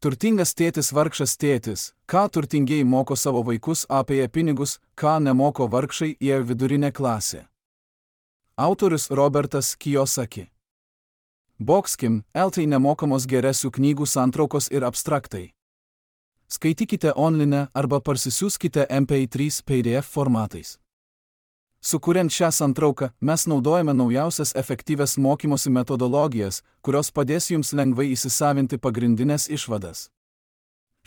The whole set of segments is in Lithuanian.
Turtingas tėtis, vargšas tėtis, ką turtingieji moko savo vaikus apie pinigus, ką nemoko vargšai į vidurinę klasę. Autorius Robertas Kiyosaki. Boxkim, LT nemokamos geresių knygų santraukos ir abstraktai. Skaitykite online arba parsisiųskite MP3 PDF formatais. Sukuriant šią santrauką, mes naudojame naujausias efektyvias mokymosi metodologijas, kurios padės jums lengvai įsisavinti pagrindinės išvadas.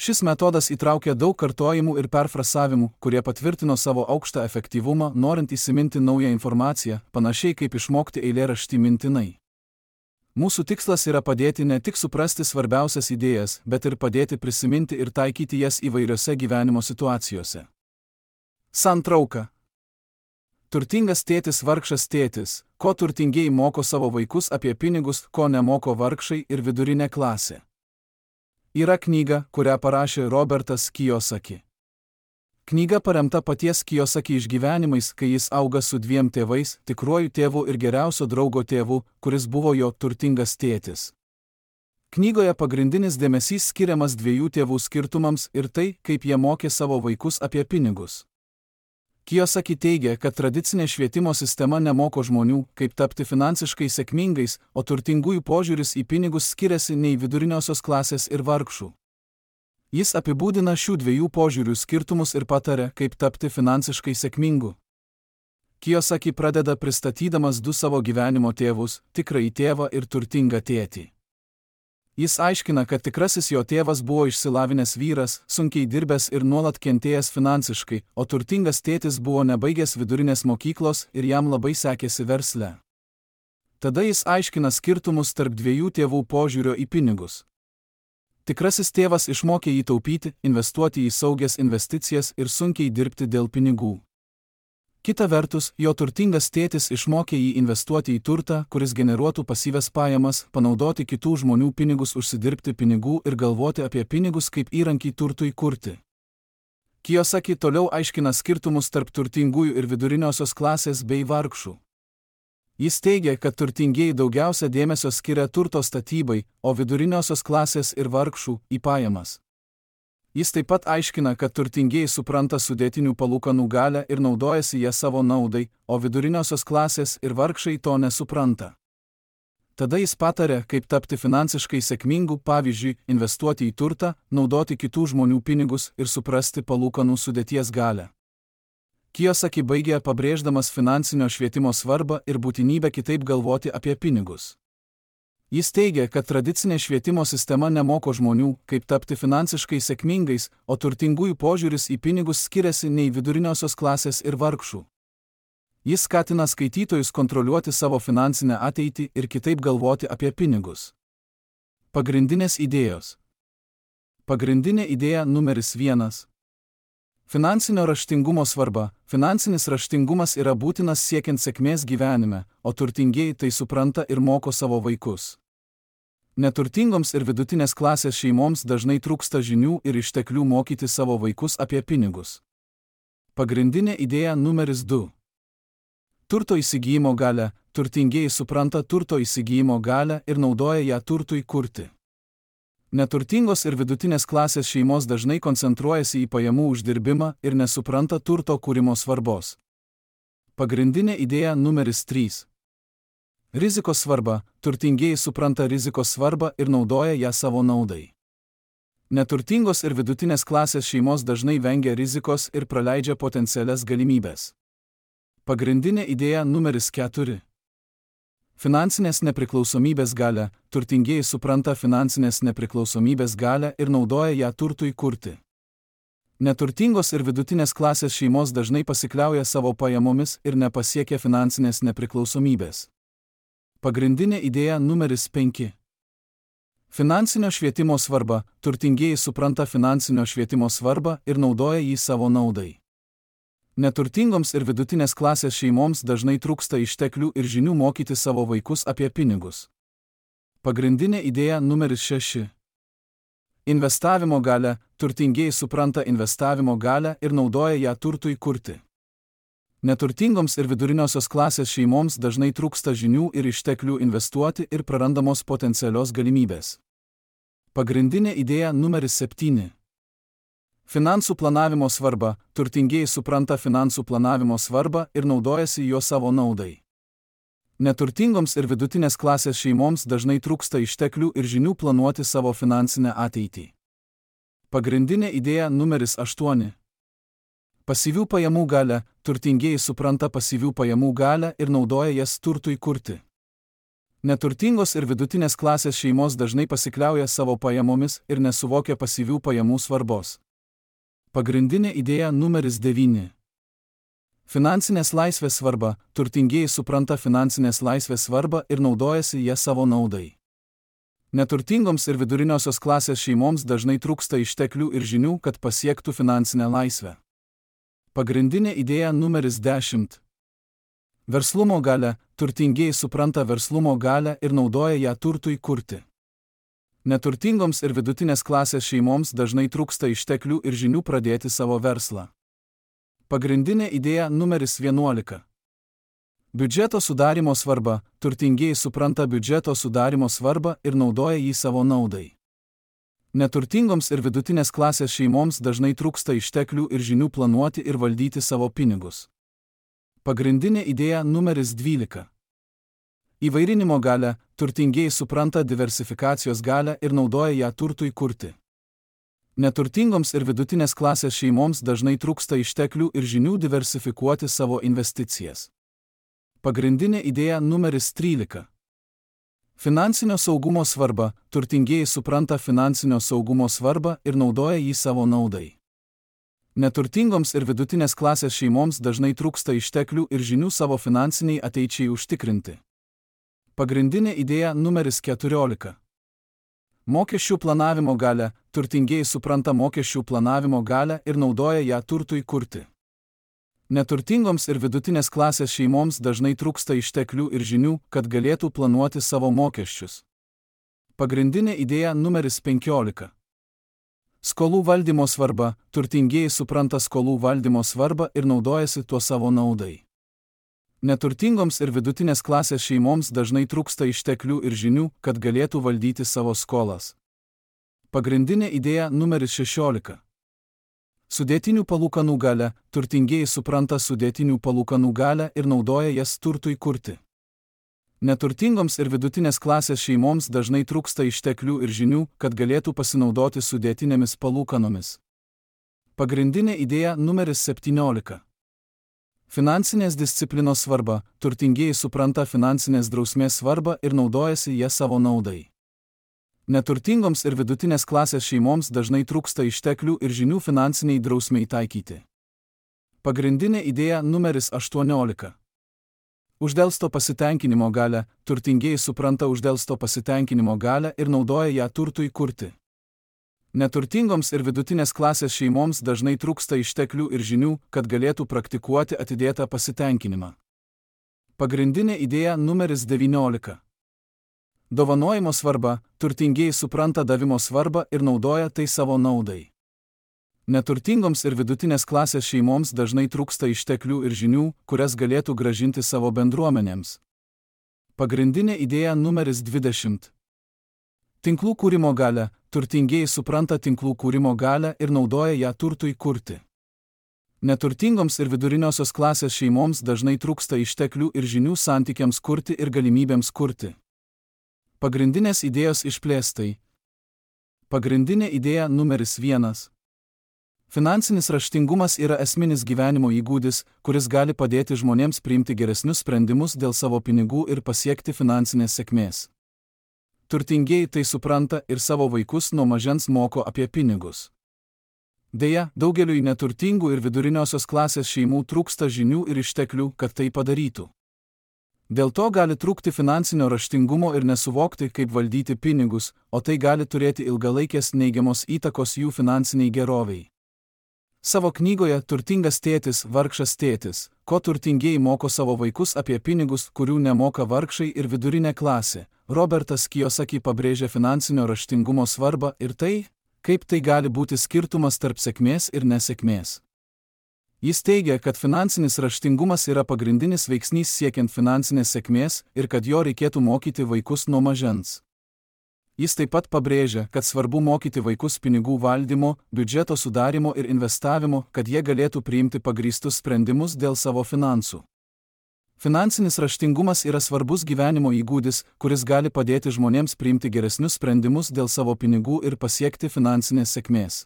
Šis metodas įtraukia daug kartojimų ir perfrasavimų, kurie patvirtino savo aukštą efektyvumą, norint įsiminti naują informaciją, panašiai kaip išmokti eilėraštį mintinai. Mūsų tikslas yra padėti ne tik suprasti svarbiausias idėjas, bet ir padėti prisiminti ir taikyti jas įvairiose gyvenimo situacijose. Santrauka. Turtingas tėtis, vargšas tėtis, ko turtingieji moko savo vaikus apie pinigus, ko nemoko vargšai ir vidurinė klasė. Yra knyga, kurią parašė Robertas Kiyosaki. Knyga paremta paties Kiyosaki išgyvenimais, kai jis auga su dviem tėvais, tikruoju tėvu ir geriausio draugo tėvu, kuris buvo jo turtingas tėtis. Knygoje pagrindinis dėmesys skiriamas dviejų tėvų skirtumams ir tai, kaip jie mokė savo vaikus apie pinigus. Kiyosaki teigia, kad tradicinė švietimo sistema nemoko žmonių, kaip tapti finansiškai sėkmingais, o turtingųjų požiūris į pinigus skiriasi nei viduriniosios klasės ir vargšų. Jis apibūdina šių dviejų požiūrių skirtumus ir pataria, kaip tapti finansiškai sėkmingu. Kiyosaki pradeda pristatydamas du savo gyvenimo tėvus, tikrąjį tėvą ir turtingą tėtį. Jis aiškina, kad tikrasis jo tėvas buvo išsilavinęs vyras, sunkiai dirbęs ir nuolat kentėjęs finansiškai, o turtingas tėtis buvo nebaigęs vidurinės mokyklos ir jam labai sekėsi versle. Tada jis aiškina skirtumus tarp dviejų tėvų požiūrio į pinigus. Tikrasis tėvas išmokė jį taupyti, investuoti į saugias investicijas ir sunkiai dirbti dėl pinigų. Kita vertus, jo turtingas tėtis išmokė jį investuoti į turtą, kuris generuotų pasyvias pajamas, panaudoti kitų žmonių pinigus užsidirbti pinigų ir galvoti apie pinigus kaip įrankį turtui kurti. Kiyosaki toliau aiškina skirtumus tarp turtingųjų ir viduriniosios klasės bei vargšų. Jis teigia, kad turtingieji daugiausia dėmesio skiria turto statybai, o viduriniosios klasės ir vargšų į pajamas. Jis taip pat aiškina, kad turtingieji supranta sudėtinių palūkanų galią ir naudojasi ją savo naudai, o viduriniosios klasės ir vargšai to nesupranta. Tada jis pataria, kaip tapti finansiškai sėkmingu, pavyzdžiui, investuoti į turtą, naudoti kitų žmonių pinigus ir suprasti palūkanų sudėties galią. Kiyosaki baigė pabrėždamas finansinio švietimo svarbą ir būtinybę kitaip galvoti apie pinigus. Jis teigia, kad tradicinė švietimo sistema nemoko žmonių, kaip tapti finansiškai sėkmingais, o turtingųjų požiūris į pinigus skiriasi nei viduriniosios klasės ir vargšų. Jis skatina skaitytojus kontroliuoti savo finansinę ateitį ir kitaip galvoti apie pinigus. Pagrindinės idėjos. Pagrindinė idėja numeris 1. Finansinio raštingumo svarba. Finansinis raštingumas yra būtinas siekiant sėkmės gyvenime, o turtingieji tai supranta ir moko savo vaikus. Neturtingoms ir vidutinės klasės šeimoms dažnai trūksta žinių ir išteklių mokyti savo vaikus apie pinigus. Pagrindinė idėja numeris 2. Turto įsigijimo galią. Turtingieji supranta turto įsigijimo galią ir naudoja ją turtui kurti. Neturtingos ir vidutinės klasės šeimos dažnai koncentruojasi į pajamų uždirbimą ir nesupranta turto kūrimo svarbos. Pagrindinė idėja numeris 3. Rizikos svarba. Turtingieji supranta rizikos svarbą ir naudoja ją savo naudai. Neturtingos ir vidutinės klasės šeimos dažnai vengia rizikos ir praleidžia potencialias galimybes. Pagrindinė idėja numeris 4. Finansinės nepriklausomybės galią. Turtingieji supranta finansinės nepriklausomybės galią ir naudoja ją turtui kurti. Neturtingos ir vidutinės klasės šeimos dažnai pasikliauja savo pajamomis ir nepasiekia finansinės nepriklausomybės. Pagrindinė idėja numeris 5. Finansinio švietimo svarba. Turtingieji supranta finansinio švietimo svarbą ir naudoja jį savo naudai. Neturtingoms ir vidutinės klasės šeimoms dažnai trūksta išteklių ir žinių mokyti savo vaikus apie pinigus. Pagrindinė idėja numeris 6. Investavimo galią. Turtingieji supranta investavimo galią ir naudoja ją turtui kurti. Neturtingoms ir viduriniosios klasės šeimoms dažnai trūksta žinių ir išteklių investuoti ir prarandamos potencialios galimybės. Pagrindinė idėja numeris 7. Finansų planavimo svarba. Turtingieji supranta finansų planavimo svarbą ir naudojasi juo savo naudai. Neturtingoms ir vidutinės klasės šeimoms dažnai trūksta išteklių ir žinių planuoti savo finansinę ateitį. Pagrindinė idėja numeris 8. Pasyvių pajamų galią. Turtingieji supranta pasyvių pajamų galią ir naudoja jas turtui kurti. Neturtingos ir vidutinės klasės šeimos dažnai pasikliauja savo pajamomis ir nesuvokia pasyvių pajamų svarbos. Pagrindinė idėja numeris 9. Finansinės laisvės svarba. Turtingieji supranta finansinės laisvės svarbą ir naudojasi ją savo naudai. Neturtingoms ir viduriniosios klasės šeimoms dažnai trūksta išteklių ir žinių, kad pasiektų finansinę laisvę. Pagrindinė idėja numeris 10. Verslumo galią. Turtingieji supranta verslumo galią ir naudoja ją turtui kurti. Neturtingoms ir vidutinės klasės šeimoms dažnai trūksta išteklių ir žinių pradėti savo verslą. Pagrindinė idėja numeris 11. Biudžeto sudarimo svarba. Turtingieji supranta biudžeto sudarimo svarbą ir naudoja jį savo naudai. Neturtingoms ir vidutinės klasės šeimoms dažnai trūksta išteklių ir žinių planuoti ir valdyti savo pinigus. Pagrindinė idėja numeris 12. Įvairinimo galią. Turtingieji supranta diversifikacijos galią ir naudoja ją turtui kurti. Neturtingoms ir vidutinės klasės šeimoms dažnai trūksta išteklių ir žinių diversifikuoti savo investicijas. Pagrindinė idėja numeris 13. Finansinio saugumo svarba. Turtingieji supranta finansinio saugumo svarbą ir naudoja jį savo naudai. Neturtingoms ir vidutinės klasės šeimoms dažnai trūksta išteklių ir žinių savo finansiniai ateičiai užtikrinti. Pagrindinė idėja numeris 14. Mokesčių planavimo galią. Turtingieji supranta mokesčių planavimo galią ir naudoja ją turtui kurti. Neturtingoms ir vidutinės klasės šeimoms dažnai trūksta išteklių ir žinių, kad galėtų planuoti savo mokesčius. Pagrindinė idėja numeris 15. Skolų valdymo svarba. Turtingieji supranta skolų valdymo svarbą ir naudojasi tuo savo naudai. Neturtingoms ir vidutinės klasės šeimoms dažnai trūksta išteklių ir žinių, kad galėtų valdyti savo skolas. Pagrindinė idėja numeris 16. Sudėtinių palūkanų galią. Turtingieji supranta sudėtinių palūkanų galią ir naudoja jas turtui kurti. Neturtingoms ir vidutinės klasės šeimoms dažnai trūksta išteklių ir žinių, kad galėtų pasinaudoti sudėtinėmis palūkanomis. Pagrindinė idėja numeris 17. Finansinės disciplinos svarba. Turtingieji supranta finansinės drausmės svarbą ir naudojasi ją savo naudai. Neturtingoms ir vidutinės klasės šeimoms dažnai trūksta išteklių ir žinių finansiniai drausmei taikyti. Pagrindinė idėja numeris 18. Uždelsto pasitenkinimo galią. Turtingieji supranta uždelsto pasitenkinimo galią ir naudoja ją turtui kurti. Neturtingoms ir vidutinės klasės šeimoms dažnai trūksta išteklių ir žinių, kad galėtų praktikuoti atidėtą pasitenkinimą. Pagrindinė idėja numeris 19. Dovanojimo svarba. Turtingieji supranta davimo svarbą ir naudoja tai savo naudai. Neturtingoms ir vidutinės klasės šeimoms dažnai trūksta išteklių ir žinių, kurias galėtų grąžinti savo bendruomenėms. Pagrindinė idėja numeris 20. Tinklų kūrimo galią. Turtingieji supranta tinklų kūrimo galią ir naudoja ją turtui kurti. Neturtingoms ir viduriniosios klasės šeimoms dažnai trūksta išteklių ir žinių santykiams kurti ir galimybėms kurti. Pagrindinės idėjos išplėstai. Pagrindinė idėja numeris 1. Finansinis raštingumas yra esminis gyvenimo įgūdis, kuris gali padėti žmonėms priimti geresnius sprendimus dėl savo pinigų ir pasiekti finansinės sėkmės. Turtingieji tai supranta ir savo vaikus nuo mažens moko apie pinigus. Deja, daugeliui neturtingų ir viduriniosios klasės šeimų trūksta žinių ir išteklių, kad tai padarytų. Dėl to gali trūkti finansinio raštingumo ir nesuvokti, kaip valdyti pinigus, o tai gali turėti ilgalaikės neigiamos įtakos jų finansiniai geroviai. Savo knygoje Turtingas tėtis, vargšas tėtis, ko turtingieji moko savo vaikus apie pinigus, kurių nemoka vargšai ir vidurinė klasė, Robertas Kiyosaki pabrėžia finansinio raštingumo svarbą ir tai, kaip tai gali būti skirtumas tarp sėkmės ir nesėkmės. Jis teigia, kad finansinis raštingumas yra pagrindinis veiksnys siekiant finansinės sėkmės ir kad jo reikėtų mokyti vaikus nuo mažens. Jis taip pat pabrėžia, kad svarbu mokyti vaikus pinigų valdymo, biudžeto sudarimo ir investavimo, kad jie galėtų priimti pagrįstus sprendimus dėl savo finansų. Finansinis raštingumas yra svarbus gyvenimo įgūdis, kuris gali padėti žmonėms priimti geresnius sprendimus dėl savo pinigų ir pasiekti finansinės sėkmės.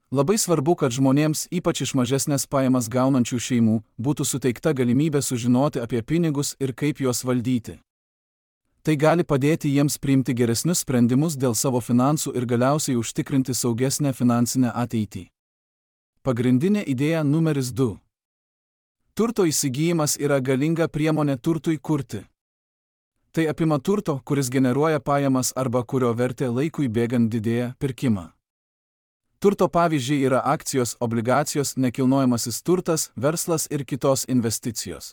Labai svarbu, kad žmonėms, ypač iš mažesnės pajamas gaunančių šeimų, būtų suteikta galimybė sužinoti apie pinigus ir kaip juos valdyti. Tai gali padėti jiems priimti geresnius sprendimus dėl savo finansų ir galiausiai užtikrinti saugesnę finansinę ateitį. Pagrindinė idėja numeris 2. Turto įsigijimas yra galinga priemonė turtui kurti. Tai apima turto, kuris generuoja pajamas arba kurio vertė laikui bėgant didėja, pirkimą. Turto pavyzdžiai yra akcijos, obligacijos, nekilnojamasis turtas, verslas ir kitos investicijos.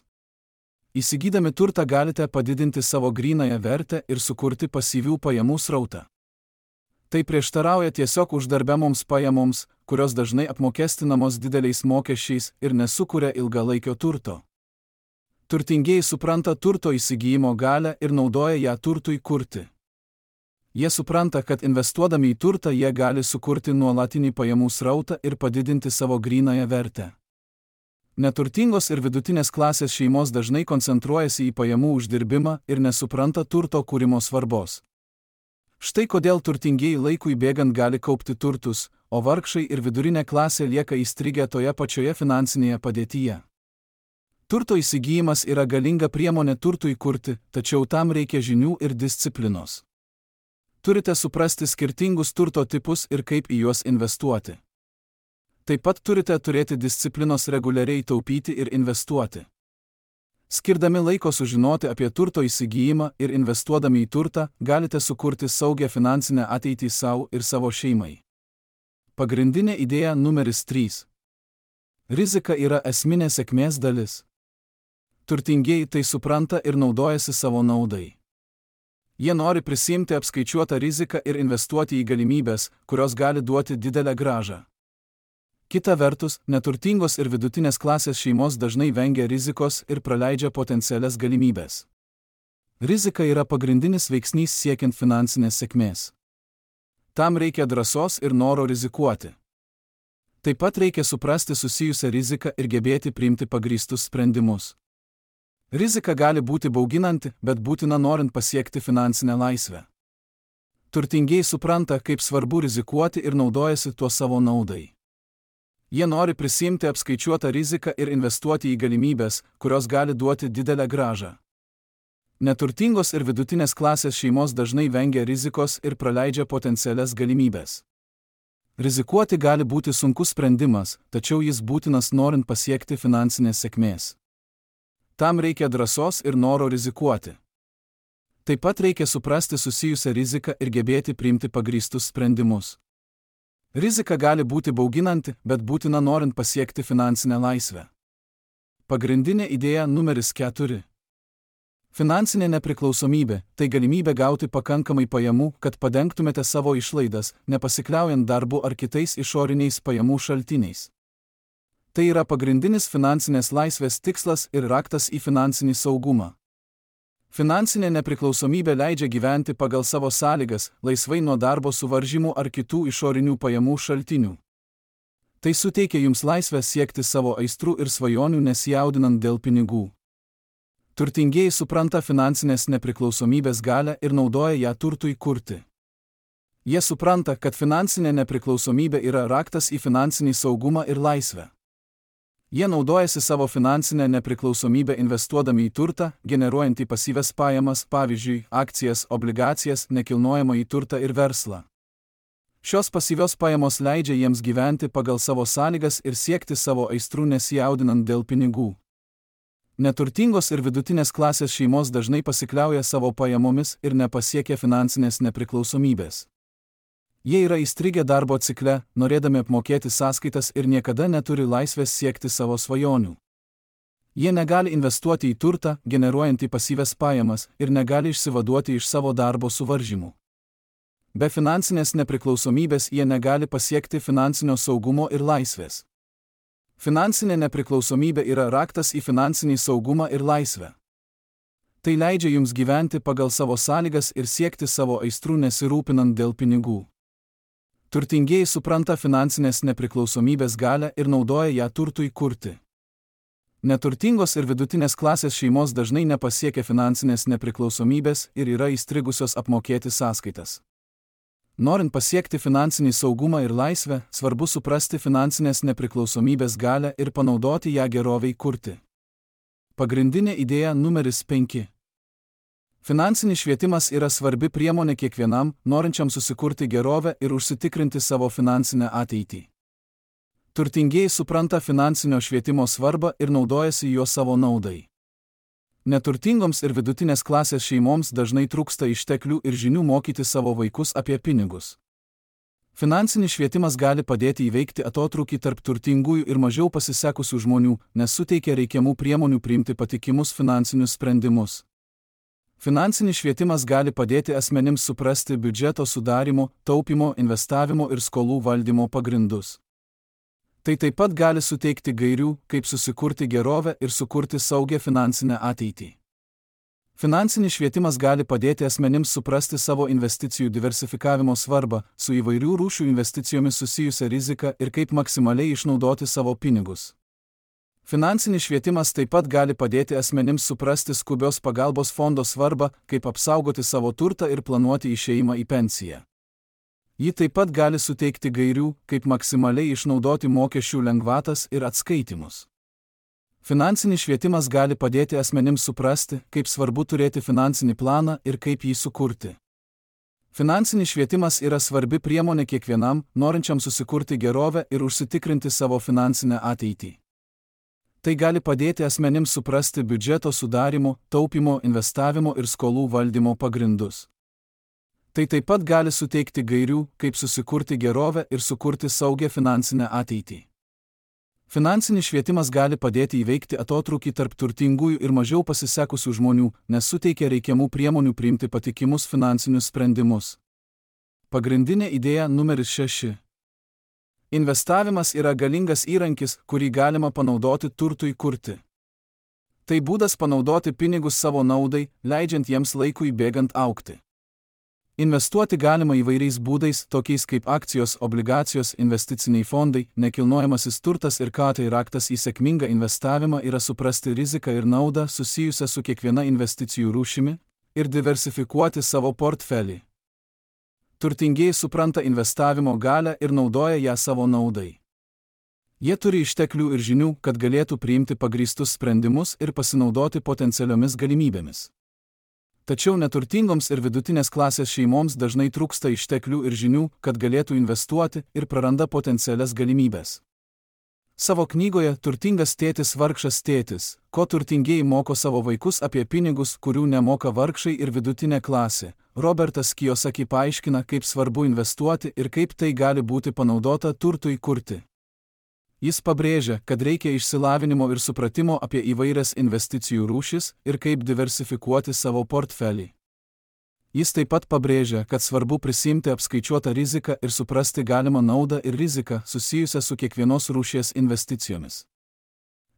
Įsigydami turtą galite padidinti savo grynąją vertę ir sukurti pasyvių pajamų srautą. Tai prieštarauja tiesiog uždarbiamoms pajamoms, kurios dažnai apmokestinamos dideliais mokesčiais ir nesukuria ilgalaikio turto. Turtingieji supranta turto įsigijimo galią ir naudoja ją turtui kurti. Jie supranta, kad investuodami į turtą jie gali sukurti nuolatinį pajamų srautą ir padidinti savo grynąją vertę. Neturtingos ir vidutinės klasės šeimos dažnai koncentruojasi į pajamų uždirbimą ir nesupranta turto kūrimo svarbos. Štai kodėl turtingieji laikui bėgant gali kaupti turtus, o vargšai ir vidurinė klasė lieka įstrigę toje pačioje finansinėje padėtyje. Turto įsigijimas yra galinga priemonė turtui kurti, tačiau tam reikia žinių ir disciplinos. Turite suprasti skirtingus turto tipus ir kaip į juos investuoti. Taip pat turite turėti disciplinos reguliariai taupyti ir investuoti. Skirdami laiko sužinoti apie turto įsigijimą ir investuodami į turtą, galite sukurti saugią finansinę ateitį savo ir savo šeimai. Pagrindinė idėja numeris 3. Rizika yra esminė sėkmės dalis. Turtingieji tai supranta ir naudojasi savo naudai. Jie nori prisiimti apskaičiuotą riziką ir investuoti į galimybės, kurios gali duoti didelę grąžą. Kita vertus, neturtingos ir vidutinės klasės šeimos dažnai vengia rizikos ir praleidžia potencialias galimybės. Rizika yra pagrindinis veiksnys siekiant finansinės sėkmės. Tam reikia drąsos ir noro rizikuoti. Taip pat reikia suprasti susijusią riziką ir gebėti priimti pagrįstus sprendimus. Rizika gali būti bauginanti, bet būtina norint pasiekti finansinę laisvę. Turtingieji supranta, kaip svarbu rizikuoti ir naudojasi tuo savo naudai. Jie nori prisiimti apskaičiuotą riziką ir investuoti į galimybės, kurios gali duoti didelę grąžą. Neturtingos ir vidutinės klasės šeimos dažnai vengia rizikos ir praleidžia potencialias galimybės. Rizikuoti gali būti sunkus sprendimas, tačiau jis būtinas norint pasiekti finansinės sėkmės. Tam reikia drąsos ir noro rizikuoti. Taip pat reikia suprasti susijusią riziką ir gebėti priimti pagrįstus sprendimus. Rizika gali būti bauginanti, bet būtina norint pasiekti finansinę laisvę. Pagrindinė idėja numeris 4. Finansinė nepriklausomybė – tai galimybė gauti pakankamai pajamų, kad padengtumėte savo išlaidas, nepasikliaujant darbu ar kitais išoriniais pajamų šaltiniais. Tai yra pagrindinis finansinės laisvės tikslas ir raktas į finansinį saugumą. Finansinė nepriklausomybė leidžia gyventi pagal savo sąlygas, laisvai nuo darbo suvaržymų ar kitų išorinių pajamų šaltinių. Tai suteikia jums laisvę siekti savo aistrų ir svajonių nesijaudinant dėl pinigų. Turtingieji supranta finansinės nepriklausomybės galią ir naudoja ją turtui kurti. Jie supranta, kad finansinė nepriklausomybė yra raktas į finansinį saugumą ir laisvę. Jie naudojasi savo finansinę nepriklausomybę investuodami į turtą, generuojantį pasyvias pajamas, pavyzdžiui, akcijas, obligacijas, nekilnojamąjį turtą ir verslą. Šios pasyvios pajamos leidžia jiems gyventi pagal savo sąlygas ir siekti savo aistrų nesijaudinant dėl pinigų. Neturtingos ir vidutinės klasės šeimos dažnai pasikliauja savo pajamomis ir nepasiekia finansinės nepriklausomybės. Jie yra įstrigę darbo cikle, norėdami apmokėti sąskaitas ir niekada neturi laisvės siekti savo svajonių. Jie negali investuoti į turtą, generuojantį pasyvias pajamas, ir negali išsivaduoti iš savo darbo suvaržymų. Be finansinės nepriklausomybės jie negali pasiekti finansinio saugumo ir laisvės. Finansinė nepriklausomybė yra raktas į finansinį saugumą ir laisvę. Tai leidžia jums gyventi pagal savo sąlygas ir siekti savo aistrų nesirūpinant dėl pinigų. Turtingieji supranta finansinės nepriklausomybės galią ir naudoja ją turtui kurti. Neturtingos ir vidutinės klasės šeimos dažnai nepasiekia finansinės nepriklausomybės ir yra įstrigusios apmokėti sąskaitas. Norint pasiekti finansinį saugumą ir laisvę, svarbu suprasti finansinės nepriklausomybės galią ir panaudoti ją gerovei kurti. Pagrindinė idėja numeris 5. Finansinis švietimas yra svarbi priemonė kiekvienam, norinčiam susikurti gerovę ir užsitikrinti savo finansinę ateitį. Turtingieji supranta finansinio švietimo svarbą ir naudojasi juo savo naudai. Neturtingoms ir vidutinės klasės šeimoms dažnai trūksta išteklių ir žinių mokyti savo vaikus apie pinigus. Finansinis švietimas gali padėti įveikti atotrūkį tarp turtingųjų ir mažiau pasisekusių žmonių, nes suteikia reikiamų priemonių priimti patikimus finansinius sprendimus. Finansinis švietimas gali padėti asmenims suprasti biudžeto sudarimo, taupimo, investavimo ir skolų valdymo pagrindus. Tai taip pat gali suteikti gairių, kaip susikurti gerovę ir sukurti saugią finansinę ateitį. Finansinis švietimas gali padėti asmenims suprasti savo investicijų diversifikavimo svarbą, su įvairių rūšių investicijomis susijusią riziką ir kaip maksimaliai išnaudoti savo pinigus. Finansinis švietimas taip pat gali padėti asmenims suprasti skubios pagalbos fondo svarbą, kaip apsaugoti savo turtą ir planuoti išėjimą į pensiją. Ji taip pat gali suteikti gairių, kaip maksimaliai išnaudoti mokesčių lengvatas ir atskaitimus. Finansinis švietimas gali padėti asmenims suprasti, kaip svarbu turėti finansinį planą ir kaip jį sukurti. Finansinis švietimas yra svarbi priemonė kiekvienam, norinčiam susikurti gerovę ir užsitikrinti savo finansinę ateitį. Tai gali padėti asmenims suprasti biudžeto sudarimo, taupimo, investavimo ir skolų valdymo pagrindus. Tai taip pat gali suteikti gairių, kaip susikurti gerovę ir sukurti saugią finansinę ateitį. Finansinis švietimas gali padėti įveikti atotrūkį tarp turtingųjų ir mažiau pasisekusių žmonių, nes suteikia reikiamų priemonių priimti patikimus finansinius sprendimus. Pagrindinė idėja numeris 6. Investavimas yra galingas įrankis, kurį galima panaudoti turtui kurti. Tai būdas panaudoti pinigus savo naudai, leidžiant jiems laikui bėgant augti. Investuoti galima įvairiais būdais, tokiais kaip akcijos, obligacijos, investiciniai fondai, nekilnojamasis turtas ir tai raktas į sėkmingą investavimą yra suprasti riziką ir naudą susijusią su kiekviena investicijų rūšimi ir diversifikuoti savo portfelį. Turtingieji supranta investavimo galią ir naudoja ją savo naudai. Jie turi išteklių ir žinių, kad galėtų priimti pagrįstus sprendimus ir pasinaudoti potencialiomis galimybėmis. Tačiau neturtingoms ir vidutinės klasės šeimoms dažnai trūksta išteklių ir žinių, kad galėtų investuoti ir praranda potencialias galimybės. Savo knygoje Turtingas tėtis, vargšas tėtis, ko turtingieji moko savo vaikus apie pinigus, kurių nemoka vargšai ir vidutinė klasė, Robertas Kiyosaki paaiškina, kaip svarbu investuoti ir kaip tai gali būti panaudota turtui kurti. Jis pabrėžia, kad reikia išsilavinimo ir supratimo apie įvairias investicijų rūšis ir kaip diversifikuoti savo portfelį. Jis taip pat pabrėžia, kad svarbu prisimti apskaičiuotą riziką ir suprasti galimą naudą ir riziką susijusią su kiekvienos rūšies investicijomis.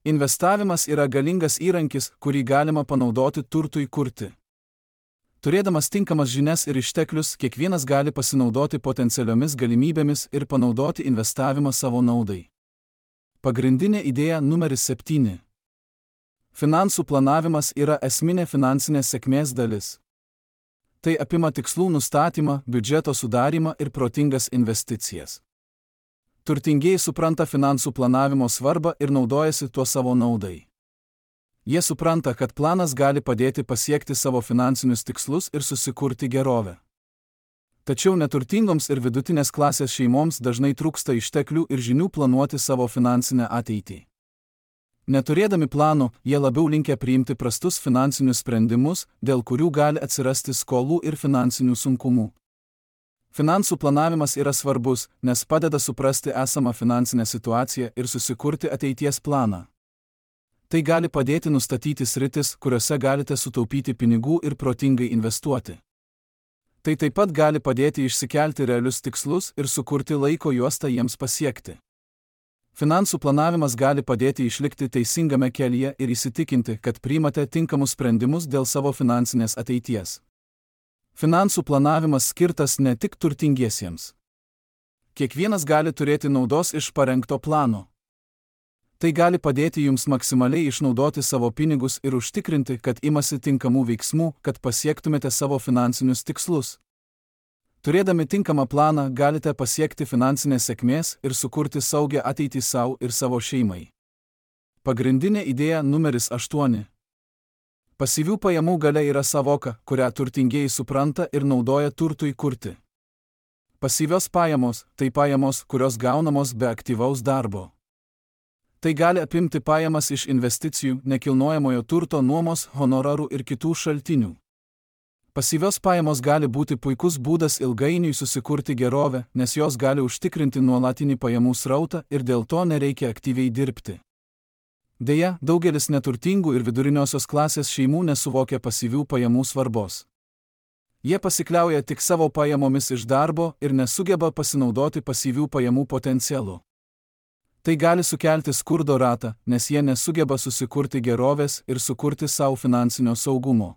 Investavimas yra galingas įrankis, kurį galima panaudoti turtui kurti. Turėdamas tinkamas žinias ir išteklius, kiekvienas gali pasinaudoti potencialiomis galimybėmis ir panaudoti investavimą savo naudai. Pagrindinė idėja numeris 7. Finansų planavimas yra esminė finansinės sėkmės dalis. Tai apima tikslų nustatymą, biudžeto sudarymą ir protingas investicijas. Turtingieji supranta finansų planavimo svarbą ir naudojasi tuo savo naudai. Jie supranta, kad planas gali padėti pasiekti savo finansinius tikslus ir susikurti gerovę. Tačiau neturtingoms ir vidutinės klasės šeimoms dažnai trūksta išteklių ir žinių planuoti savo finansinę ateitį. Neturėdami plano, jie labiau linkę priimti prastus finansinius sprendimus, dėl kurių gali atsirasti skolų ir finansinių sunkumų. Finansų planavimas yra svarbus, nes padeda suprasti esamą finansinę situaciją ir susikurti ateities planą. Tai gali padėti nustatyti sritis, kuriuose galite sutaupyti pinigų ir protingai investuoti. Tai taip pat gali padėti išsikelti realius tikslus ir sukurti laiko juostą jiems pasiekti. Finansų planavimas gali padėti išlikti teisingame kelyje ir įsitikinti, kad priimate tinkamus sprendimus dėl savo finansinės ateities. Finansų planavimas skirtas ne tik turtingiesiems. Kiekvienas gali turėti naudos iš parengto plano. Tai gali padėti jums maksimaliai išnaudoti savo pinigus ir užtikrinti, kad imasi tinkamų veiksmų, kad pasiektumėte savo finansinius tikslus. Turėdami tinkamą planą galite pasiekti finansinės sėkmės ir sukurti saugią ateitį savo ir savo šeimai. Pagrindinė idėja numeris 8. Pasyvių pajamų galia yra savoka, kurią turtingieji supranta ir naudoja turtui kurti. Pasyvios pajamos – tai pajamos, kurios gaunamos be aktyvaus darbo. Tai gali apimti pajamas iš investicijų, nekilnojamojo turto nuomos, honorarų ir kitų šaltinių. Pasyvios pajamos gali būti puikus būdas ilgainiui susikurti gerovę, nes jos gali užtikrinti nuolatinį pajamų srautą ir dėl to nereikia aktyviai dirbti. Deja, daugelis neturtingų ir viduriniosios klasės šeimų nesuvokia pasyvių pajamų svarbos. Jie pasikliauja tik savo pajamomis iš darbo ir nesugeba pasinaudoti pasyvių pajamų potencialu. Tai gali sukelti skurdo ratą, nes jie nesugeba susikurti gerovės ir sukurti savo finansinio saugumo.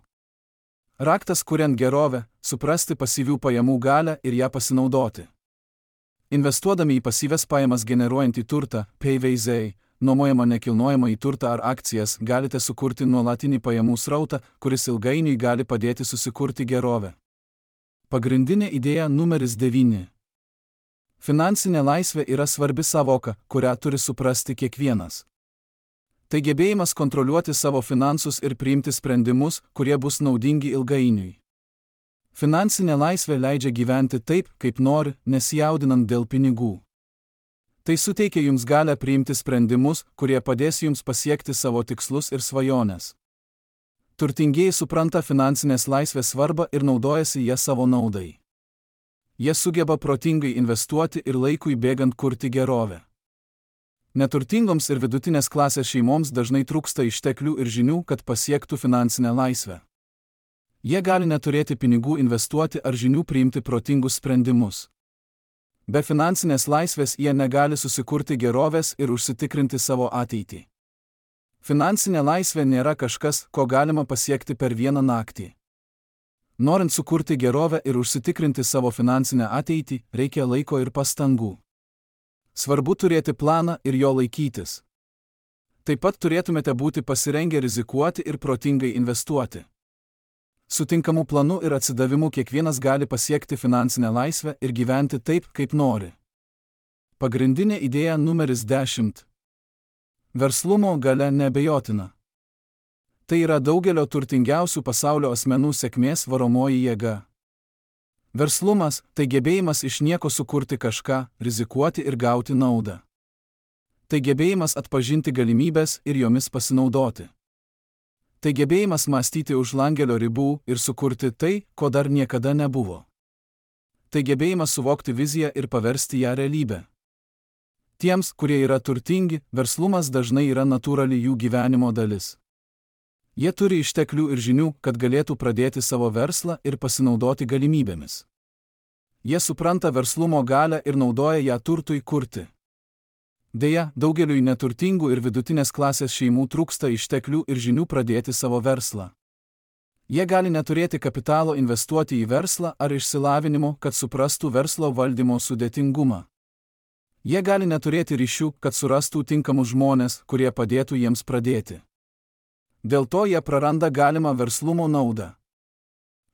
Raktas kuriant gerovę – suprasti pasyvių pajamų galią ir ją pasinaudoti. Investuodami į pasyvias pajamas generuojantį turtą, PVZ, nuomojamą nekilnojamą į turtą ar akcijas, galite sukurti nuolatinį pajamų srautą, kuris ilgainiui gali padėti susikurti gerovę. Pagrindinė idėja numeris 9. Finansinė laisvė yra svarbi savoka, kurią turi suprasti kiekvienas. Tai gebėjimas kontroliuoti savo finansus ir priimti sprendimus, kurie bus naudingi ilgainiui. Finansinė laisvė leidžia gyventi taip, kaip nori, nesijaudinant dėl pinigų. Tai suteikia jums galią priimti sprendimus, kurie padės jums pasiekti savo tikslus ir svajones. Turtingieji supranta finansinės laisvės svarbą ir naudojasi ją savo naudai. Jie sugeba protingai investuoti ir laikui bėgant kurti gerovę. Neturtingoms ir vidutinės klasės šeimoms dažnai trūksta išteklių ir žinių, kad pasiektų finansinę laisvę. Jie gali neturėti pinigų investuoti ar žinių priimti protingus sprendimus. Be finansinės laisvės jie negali susikurti gerovės ir užsitikrinti savo ateitį. Finansinė laisvė nėra kažkas, ko galima pasiekti per vieną naktį. Norint sukurti gerovę ir užsitikrinti savo finansinę ateitį, reikia laiko ir pastangų. Svarbu turėti planą ir jo laikytis. Taip pat turėtumėte būti pasirengę rizikuoti ir protingai investuoti. Su tinkamu planu ir atsidavimu kiekvienas gali pasiekti finansinę laisvę ir gyventi taip, kaip nori. Pagrindinė idėja numeris 10. Verslumo galia neabejotina. Tai yra daugelio turtingiausių pasaulio asmenų sėkmės varomoji jėga. Verslumas – tai gebėjimas iš nieko sukurti kažką, rizikuoti ir gauti naudą. Tai gebėjimas atpažinti galimybės ir jomis pasinaudoti. Tai gebėjimas mąstyti už langelio ribų ir sukurti tai, ko dar niekada nebuvo. Tai gebėjimas suvokti viziją ir paversti ją realybę. Tiems, kurie yra turtingi, verslumas dažnai yra natūrali jų gyvenimo dalis. Jie turi išteklių ir žinių, kad galėtų pradėti savo verslą ir pasinaudoti galimybėmis. Jie supranta verslumo galią ir naudoja ją turtui kurti. Deja, daugeliui neturtingų ir vidutinės klasės šeimų trūksta išteklių ir žinių pradėti savo verslą. Jie gali neturėti kapitalo investuoti į verslą ar išsilavinimo, kad suprastų verslo valdymo sudėtingumą. Jie gali neturėti ryšių, kad surastų tinkamus žmones, kurie padėtų jiems pradėti. Dėl to jie praranda galimą verslumo naudą.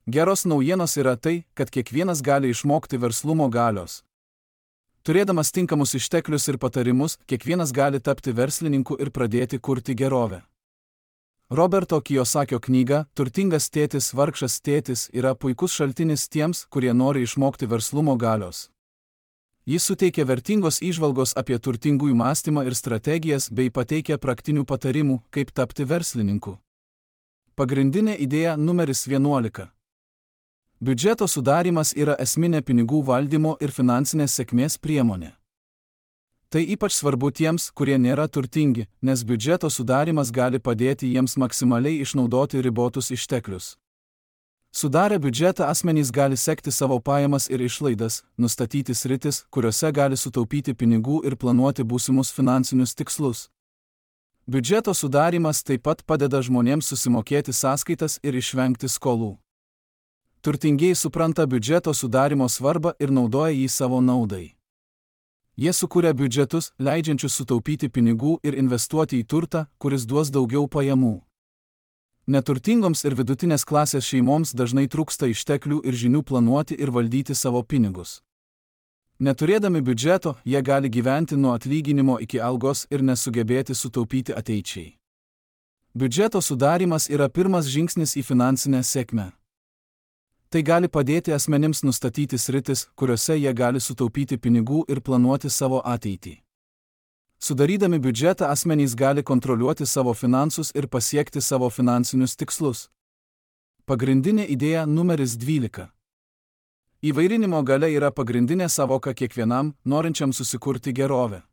Geros naujienos yra tai, kad kiekvienas gali išmokti verslumo galios. Turėdamas tinkamus išteklius ir patarimus, kiekvienas gali tapti verslininku ir pradėti kurti gerovę. Roberto Kiyosakio knyga "Turtingas tėtis, vargšas tėtis" yra puikus šaltinis tiems, kurie nori išmokti verslumo galios. Jis suteikia vertingos įžvalgos apie turtingųjų mąstymą ir strategijas bei pateikia praktinių patarimų, kaip tapti verslininku. Pagrindinė idėja numeris 11. Biudžeto sudarymas yra esminė pinigų valdymo ir finansinės sėkmės priemonė. Tai ypač svarbu tiems, kurie nėra turtingi, nes biudžeto sudarymas gali padėti jiems maksimaliai išnaudoti ribotus išteklius. Sudarę biudžetą asmenys gali sekti savo pajamas ir išlaidas, nustatyti sritis, kuriuose gali sutaupyti pinigų ir planuoti būsimus finansinius tikslus. Biudžeto sudarymas taip pat padeda žmonėms susimokėti sąskaitas ir išvengti skolų. Turtingieji supranta biudžeto sudarymo svarbą ir naudoja jį savo naudai. Jie sukuria biudžetus, leidžiančius sutaupyti pinigų ir investuoti į turtą, kuris duos daugiau pajamų. Neturtingoms ir vidutinės klasės šeimoms dažnai trūksta išteklių ir žinių planuoti ir valdyti savo pinigus. Neturėdami biudžeto, jie gali gyventi nuo atlyginimo iki algos ir nesugebėti sutaupyti ateičiai. Biudžeto sudarymas yra pirmas žingsnis į finansinę sėkmę. Tai gali padėti asmenims nustatyti sritis, kuriuose jie gali sutaupyti pinigų ir planuoti savo ateitį. Sudarydami biudžetą asmenys gali kontroliuoti savo finansus ir pasiekti savo finansinius tikslus. Pagrindinė idėja numeris 12. Įvairinimo galia yra pagrindinė savoka kiekvienam, norinčiam susikurti gerovę.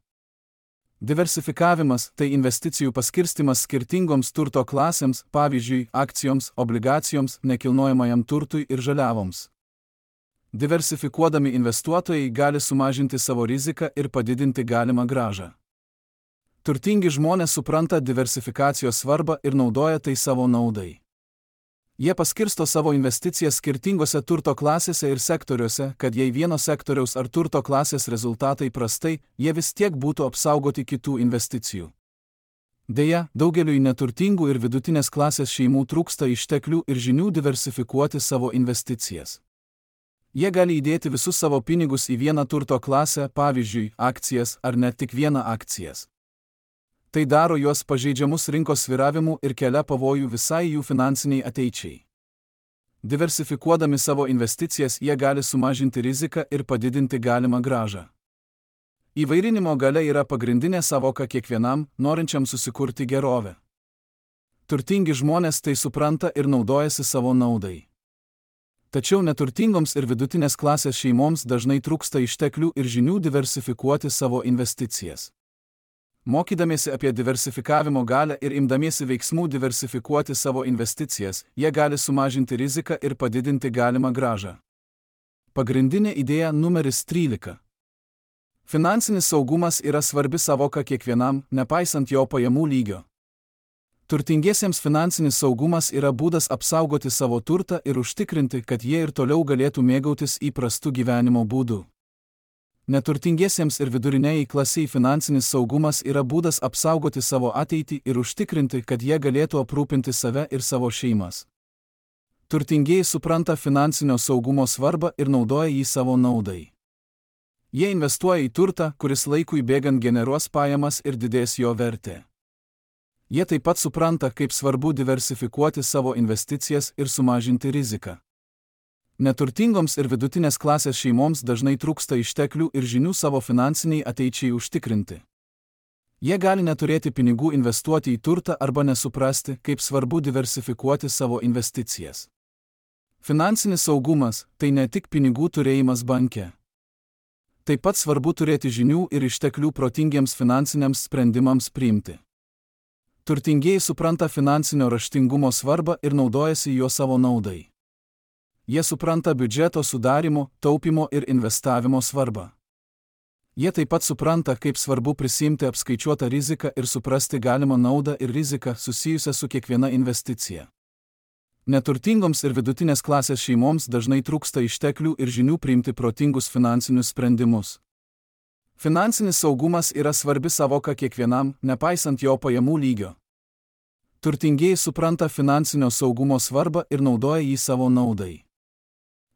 Diversifikavimas – tai investicijų paskirstimas skirtingoms turto klasėms, pavyzdžiui, akcijoms, obligacijoms, nekilnojamajam turtui ir žaliavoms. Diversifikuodami investuotojai gali sumažinti savo riziką ir padidinti galimą grąžą. Turtingi žmonės supranta diversifikacijos svarbą ir naudoja tai savo naudai. Jie paskirsto savo investicijas skirtingose turto klasėse ir sektoriuose, kad jei vieno sektoriaus ar turto klasės rezultatai prastai, jie vis tiek būtų apsaugoti kitų investicijų. Deja, daugeliui neturtingų ir vidutinės klasės šeimų trūksta išteklių ir žinių diversifikuoti savo investicijas. Jie gali įdėti visus savo pinigus į vieną turto klasę, pavyzdžiui, akcijas ar net tik vieną akcijas. Tai daro juos pažeidžiamus rinkos svyravimų ir kelia pavojų visai jų finansiniai ateičiai. Diversifikuodami savo investicijas jie gali sumažinti riziką ir padidinti galimą grąžą. Įvairinimo galia yra pagrindinė savoka kiekvienam, norinčiam susikurti gerovę. Turtingi žmonės tai supranta ir naudojasi savo naudai. Tačiau neturtingoms ir vidutinės klasės šeimoms dažnai trūksta išteklių ir žinių diversifikuoti savo investicijas. Mokydamiesi apie diversifikavimo galią ir imdamiesi veiksmų diversifikuoti savo investicijas, jie gali sumažinti riziką ir padidinti galimą grąžą. Pagrindinė idėja numeris 13. Finansinis saugumas yra svarbi savoka kiekvienam, nepaisant jo pajamų lygio. Turtingiesiems finansinis saugumas yra būdas apsaugoti savo turtą ir užtikrinti, kad jie ir toliau galėtų mėgautis įprastu gyvenimo būdu. Neturtingiesiems ir viduriniai klasiai finansinis saugumas yra būdas apsaugoti savo ateitį ir užtikrinti, kad jie galėtų aprūpinti save ir savo šeimas. Turtingieji supranta finansinio saugumo svarbą ir naudoja jį savo naudai. Jie investuoja į turtą, kuris laikui bėgant generuos pajamas ir didės jo vertė. Jie taip pat supranta, kaip svarbu diversifikuoti savo investicijas ir sumažinti riziką. Neturtingoms ir vidutinės klasės šeimoms dažnai trūksta išteklių ir žinių savo finansiniai ateičiai užtikrinti. Jie gali neturėti pinigų investuoti į turtą arba nesuprasti, kaip svarbu diversifikuoti savo investicijas. Finansinis saugumas – tai ne tik pinigų turėjimas banke. Taip pat svarbu turėti žinių ir išteklių protingiems finansiniams sprendimams priimti. Turtingieji supranta finansinio raštingumo svarbą ir naudojasi juo savo naudai. Jie supranta biudžeto sudarimo, taupimo ir investavimo svarbą. Jie taip pat supranta, kaip svarbu prisimti apskaičiuotą riziką ir suprasti galimą naudą ir riziką susijusią su kiekviena investicija. Neturtingoms ir vidutinės klasės šeimoms dažnai trūksta išteklių ir žinių priimti protingus finansinius sprendimus. Finansinis saugumas yra svarbi savoka kiekvienam, nepaisant jo pajamų lygio. Turtingieji supranta finansinio saugumo svarbą ir naudoja jį savo naudai.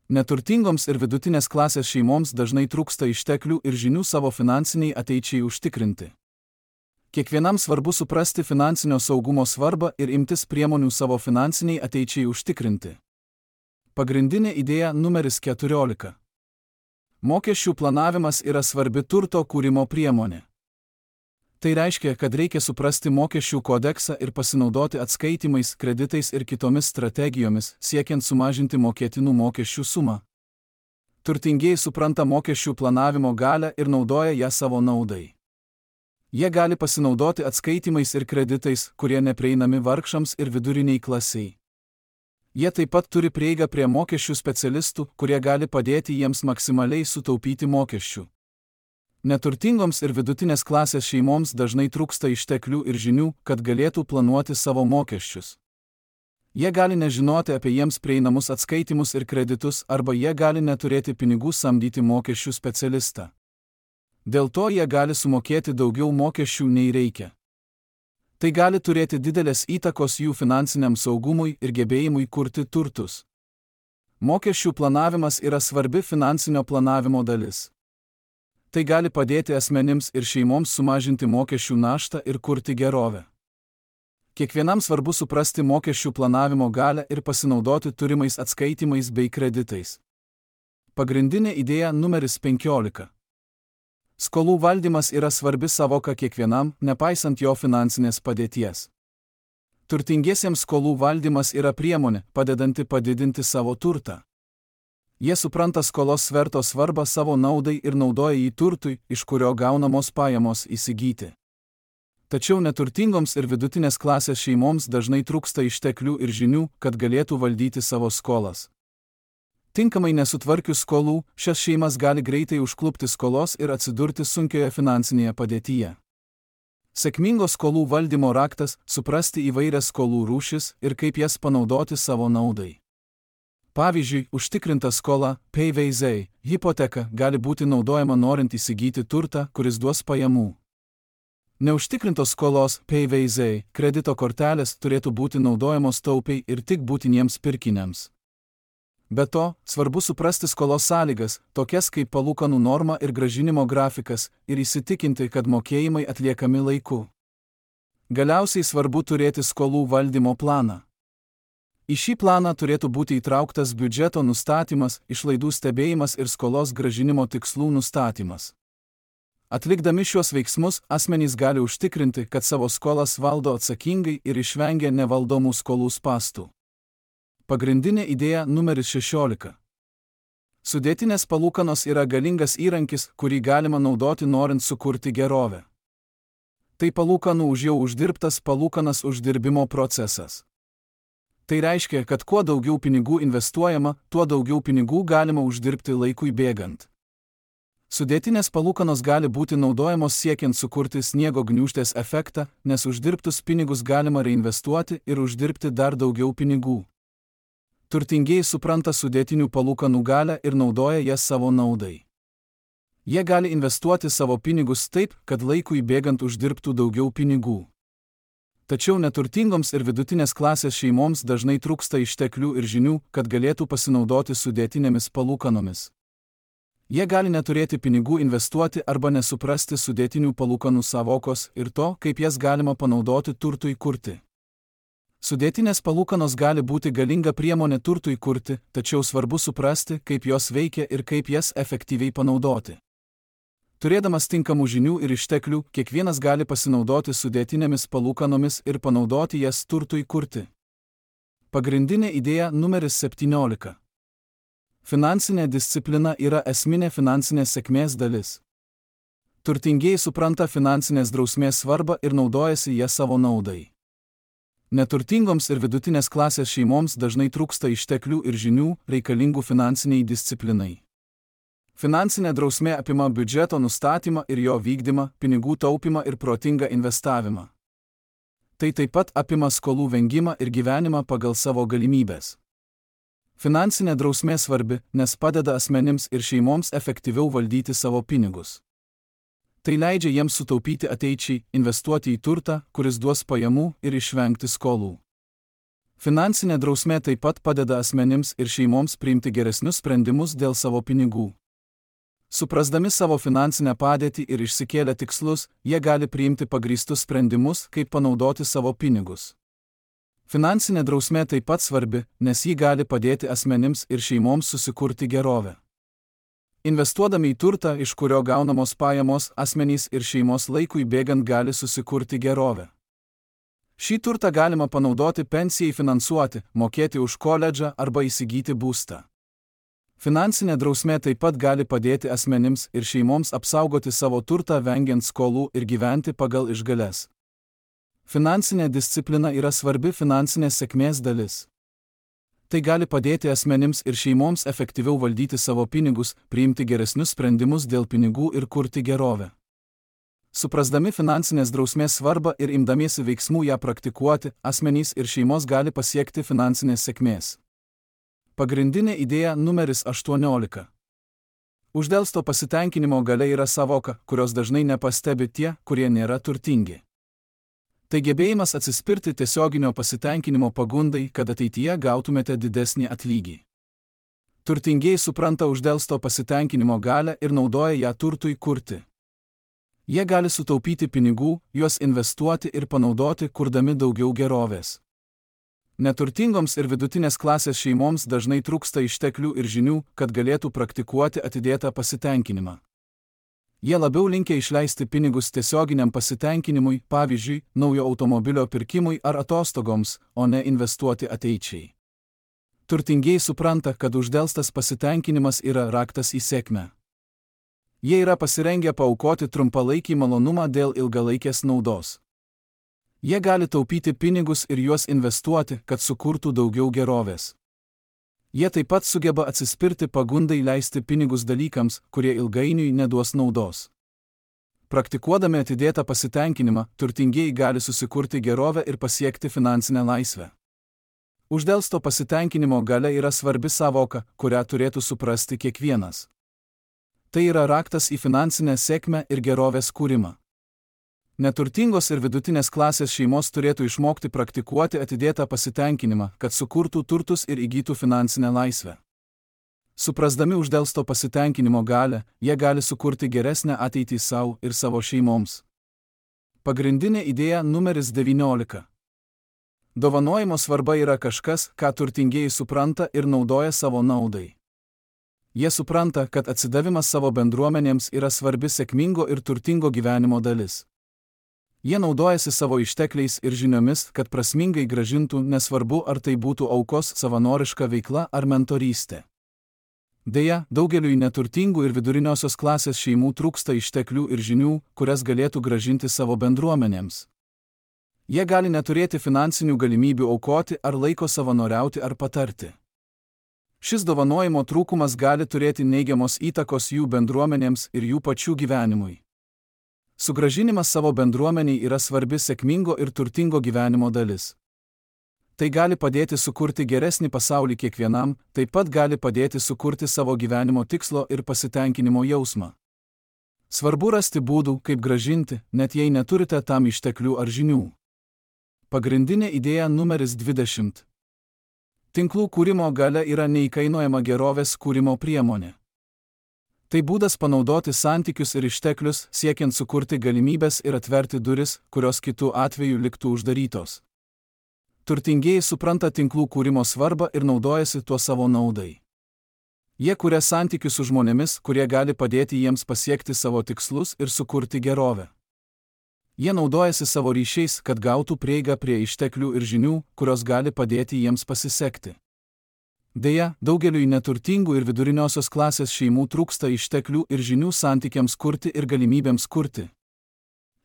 Neturtingoms ir vidutinės klasės šeimoms dažnai trūksta išteklių ir žinių savo finansiniai ateičiai užtikrinti. Kiekvienam svarbu suprasti finansinio saugumo svarbą ir imtis priemonių savo finansiniai ateičiai užtikrinti. Pagrindinė idėja numeris 14. Mokesčių planavimas yra svarbi turto kūrimo priemonė. Tai reiškia, kad reikia suprasti mokesčių kodeksą ir pasinaudoti atskaitimais, kreditais ir kitomis strategijomis, siekiant sumažinti mokėtinų mokesčių sumą. Turtingieji supranta mokesčių planavimo galią ir naudoja ją savo naudai. Jie gali pasinaudoti atskaitimais ir kreditais, kurie neprieinami vargšams ir viduriniai klasiai. Jie taip pat turi prieigą prie mokesčių specialistų, kurie gali padėti jiems maksimaliai sutaupyti mokesčių. Neturtingoms ir vidutinės klasės šeimoms dažnai trūksta išteklių ir žinių, kad galėtų planuoti savo mokesčius. Jie gali nežinoti apie jiems prieinamus atskaitimus ir kreditus, arba jie gali neturėti pinigų samdyti mokesčių specialistą. Dėl to jie gali sumokėti daugiau mokesčių nei reikia. Tai gali turėti didelės įtakos jų finansiniam saugumui ir gebėjimui kurti turtus. Mokesčių planavimas yra svarbi finansinio planavimo dalis. Tai gali padėti asmenims ir šeimoms sumažinti mokesčių naštą ir kurti gerovę. Kiekvienam svarbu suprasti mokesčių planavimo galią ir pasinaudoti turimais atskaitimais bei kreditais. Pagrindinė idėja numeris 15. Skolų valdymas yra svarbi savoka kiekvienam, nepaisant jo finansinės padėties. Turtingiesiems skolų valdymas yra priemonė, padedanti padidinti savo turtą. Jie supranta skolos sverto svarbą savo naudai ir naudoja jį turtui, iš kurio gaunamos pajamos įsigyti. Tačiau neturtingoms ir vidutinės klasės šeimoms dažnai trūksta išteklių ir žinių, kad galėtų valdyti savo skolas. Tinkamai nesutvarkius skolų, šias šeimas gali greitai užklupti skolos ir atsidurti sunkioje finansinėje padėtyje. Sėkmingo skolų valdymo raktas – suprasti įvairias skolų rūšis ir kaip jas panaudoti savo naudai. Pavyzdžiui, užtikrinta skola, PVZ, hipoteka gali būti naudojama norint įsigyti turtą, kuris duos pajamų. Neužtikrintos skolos, PVZ, kredito kortelės turėtų būti naudojamos taupiai ir tik būtiniems pirkiniams. Be to, svarbu suprasti skolos sąlygas, tokias kaip palūkanų norma ir grąžinimo grafikas, ir įsitikinti, kad mokėjimai atliekami laiku. Galiausiai svarbu turėti skolų valdymo planą. Į šį planą turėtų būti įtrauktas biudžeto nustatymas, išlaidų stebėjimas ir skolos grąžinimo tikslų nustatymas. Atlikdami šiuos veiksmus, asmenys gali užtikrinti, kad savo skolas valdo atsakingai ir išvengia nevaldomų skolų spąstų. Pagrindinė idėja numeris 16. Sudėtinės palūkanos yra galingas įrankis, kurį galima naudoti norint sukurti gerovę. Tai palūkanų už jau uždirbtas palūkanas uždirbimo procesas. Tai reiškia, kad kuo daugiau pinigų investuojama, tuo daugiau pinigų galima uždirbti laikui bėgant. Sudėtinės palūkanos gali būti naudojamos siekiant sukurti sniego gniūžtės efektą, nes uždirbtus pinigus galima reinvestuoti ir uždirbti dar daugiau pinigų. Turtingieji supranta sudėtinių palūkanų galią ir naudoja jas savo naudai. Jie gali investuoti savo pinigus taip, kad laikui bėgant uždirbtų daugiau pinigų. Tačiau neturtingoms ir vidutinės klasės šeimoms dažnai trūksta išteklių ir žinių, kad galėtų pasinaudoti sudėtinėmis palūkanomis. Jie gali neturėti pinigų investuoti arba nesuprasti sudėtinių palūkanų savokos ir to, kaip jas galima panaudoti turtui kurti. Sudėtinės palūkanos gali būti galinga priemonė turtui kurti, tačiau svarbu suprasti, kaip jos veikia ir kaip jas efektyviai panaudoti. Turėdamas tinkamų žinių ir išteklių, kiekvienas gali pasinaudoti sudėtinėmis palūkanomis ir panaudoti jas turtui kurti. Pagrindinė idėja numeris 17. Finansinė disciplina yra esminė finansinės sėkmės dalis. Turtingieji supranta finansinės drausmės svarbą ir naudojasi ją savo naudai. Neturtingoms ir vidutinės klasės šeimoms dažnai trūksta išteklių ir žinių reikalingų finansiniai disciplinai. Finansinė drausmė apima biudžeto nustatymą ir jo vykdymą, pinigų taupymą ir protingą investavimą. Tai taip pat apima skolų vengimą ir gyvenimą pagal savo galimybės. Finansinė drausmė svarbi, nes padeda asmenims ir šeimoms efektyviau valdyti savo pinigus. Tai leidžia jiems sutaupyti ateičiai, investuoti į turtą, kuris duos pajamų ir išvengti skolų. Finansinė drausmė taip pat padeda asmenims ir šeimoms priimti geresnius sprendimus dėl savo pinigų. Suprasdami savo finansinę padėtį ir išsikėlę tikslus, jie gali priimti pagrįstus sprendimus, kaip panaudoti savo pinigus. Finansinė drausmė taip pat svarbi, nes ji gali padėti asmenims ir šeimoms susikurti gerovę. Investuodami į turtą, iš kurio gaunamos pajamos, asmenys ir šeimos laikui bėgant gali susikurti gerovę. Šį turtą galima panaudoti pensijai finansuoti, mokėti už koledžą arba įsigyti būstą. Finansinė drausmė taip pat gali padėti asmenims ir šeimoms apsaugoti savo turtą vengiant skolų ir gyventi pagal išgales. Finansinė disciplina yra svarbi finansinės sėkmės dalis. Tai gali padėti asmenims ir šeimoms efektyviau valdyti savo pinigus, priimti geresnius sprendimus dėl pinigų ir kurti gerovę. Suprasdami finansinės drausmės svarbą ir imdamiesi veiksmų ją praktikuoti, asmenys ir šeimos gali pasiekti finansinės sėkmės. Pagrindinė idėja numeris 18. Uždelsto pasitenkinimo galia yra savoka, kurios dažnai nepastebi tie, kurie nėra turtingi. Tai gebėjimas atsispirti tiesioginio pasitenkinimo pagundai, kad ateityje gautumėte didesnį atlygį. Turtingieji supranta uždelsto pasitenkinimo galią ir naudoja ją turtui kurti. Jie gali sutaupyti pinigų, juos investuoti ir panaudoti, kurdami daugiau gerovės. Neturtingoms ir vidutinės klasės šeimoms dažnai trūksta išteklių ir žinių, kad galėtų praktikuoti atidėtą pasitenkinimą. Jie labiau linkę išleisti pinigus tiesioginiam pasitenkinimui, pavyzdžiui, naujo automobilio pirkimui ar atostogoms, o ne investuoti ateičiai. Turtingieji supranta, kad uždelstas pasitenkinimas yra raktas į sėkmę. Jie yra pasirengę paaukoti trumpalaikį malonumą dėl ilgalaikės naudos. Jie gali taupyti pinigus ir juos investuoti, kad sukurtų daugiau gerovės. Jie taip pat sugeba atsispirti pagundai leisti pinigus dalykams, kurie ilgainiui neduos naudos. Praktikuodami atidėtą pasitenkinimą, turtingieji gali susikurti gerovę ir pasiekti finansinę laisvę. Uždelsto pasitenkinimo galia yra svarbi savoka, kurią turėtų suprasti kiekvienas. Tai yra raktas į finansinę sėkmę ir gerovės kūrimą. Neturtingos ir vidutinės klasės šeimos turėtų išmokti praktikuoti atidėtą pasitenkinimą, kad sukurtų turtus ir įgytų finansinę laisvę. Suprasdami uždelsto pasitenkinimo galią, jie gali sukurti geresnę ateitį savo ir savo šeimoms. Pagrindinė idėja numeris 19. Dovanojimo svarba yra kažkas, ką turtingieji supranta ir naudoja savo naudai. Jie supranta, kad atsidavimas savo bendruomenėms yra svarbi sėkmingo ir turtingo gyvenimo dalis. Jie naudojasi savo ištekliais ir žiniomis, kad prasmingai grąžintų, nesvarbu ar tai būtų aukos savanoriška veikla ar mentorystė. Deja, daugeliui neturtingų ir viduriniosios klasės šeimų trūksta išteklių ir žinių, kurias galėtų grąžinti savo bendruomenėms. Jie gali neturėti finansinių galimybių aukoti ar laiko savanoriauti ar patarti. Šis dovanojimo trūkumas gali turėti neigiamos įtakos jų bendruomenėms ir jų pačių gyvenimui. Sugrąžinimas savo bendruomeniai yra svarbi sėkmingo ir turtingo gyvenimo dalis. Tai gali padėti sukurti geresnį pasaulį kiekvienam, taip pat gali padėti sukurti savo gyvenimo tikslo ir pasitenkinimo jausmą. Svarbu rasti būdų, kaip grąžinti, net jei neturite tam išteklių ar žinių. Pagrindinė idėja numeris 20. Tinklų kūrimo galia yra neįkainojama gerovės kūrimo priemonė. Tai būdas panaudoti santykius ir išteklius, siekiant sukurti galimybės ir atverti duris, kurios kitų atveju liktų uždarytos. Turtingieji supranta tinklų kūrimo svarbą ir naudojasi tuo savo naudai. Jie kuria santykius su žmonėmis, kurie gali padėti jiems pasiekti savo tikslus ir sukurti gerovę. Jie naudojasi savo ryšiais, kad gautų prieigą prie išteklių ir žinių, kurios gali padėti jiems pasisekti. Deja, daugeliui neturtingų ir viduriniosios klasės šeimų trūksta išteklių ir žinių santykiams kurti ir galimybėms kurti.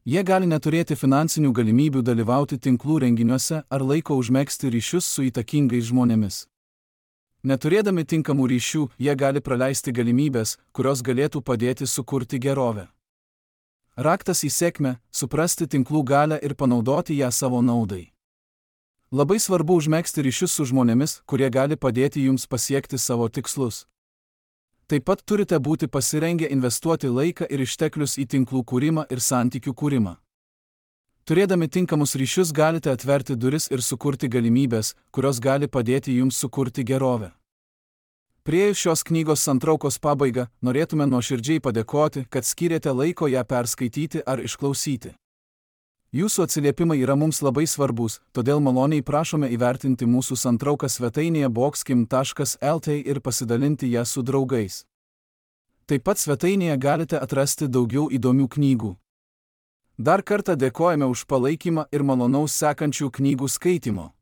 Jie gali neturėti finansinių galimybių dalyvauti tinklų renginiuose ar laiko užmegzti ryšius su įtakingais žmonėmis. Neturėdami tinkamų ryšių, jie gali praleisti galimybės, kurios galėtų padėti sukurti gerovę. Raktas į sėkmę – suprasti tinklų galią ir panaudoti ją savo naudai. Labai svarbu užmegzti ryšius su žmonėmis, kurie gali padėti jums pasiekti savo tikslus. Taip pat turite būti pasirengę investuoti laiką ir išteklius į tinklų kūrimą ir santykių kūrimą. Turėdami tinkamus ryšius galite atverti duris ir sukurti galimybės, kurios gali padėti jums sukurti gerovę. Priėjus šios knygos santraukos pabaigą, norėtume nuoširdžiai padėkoti, kad skyrėte laiko ją perskaityti ar išklausyti. Jūsų atsiliepimai yra mums labai svarbus, todėl maloniai prašome įvertinti mūsų santrauką svetainėje boxkim.lt ir pasidalinti ją su draugais. Taip pat svetainėje galite atrasti daugiau įdomių knygų. Dar kartą dėkojame už palaikymą ir malonaus sekančių knygų skaitimo.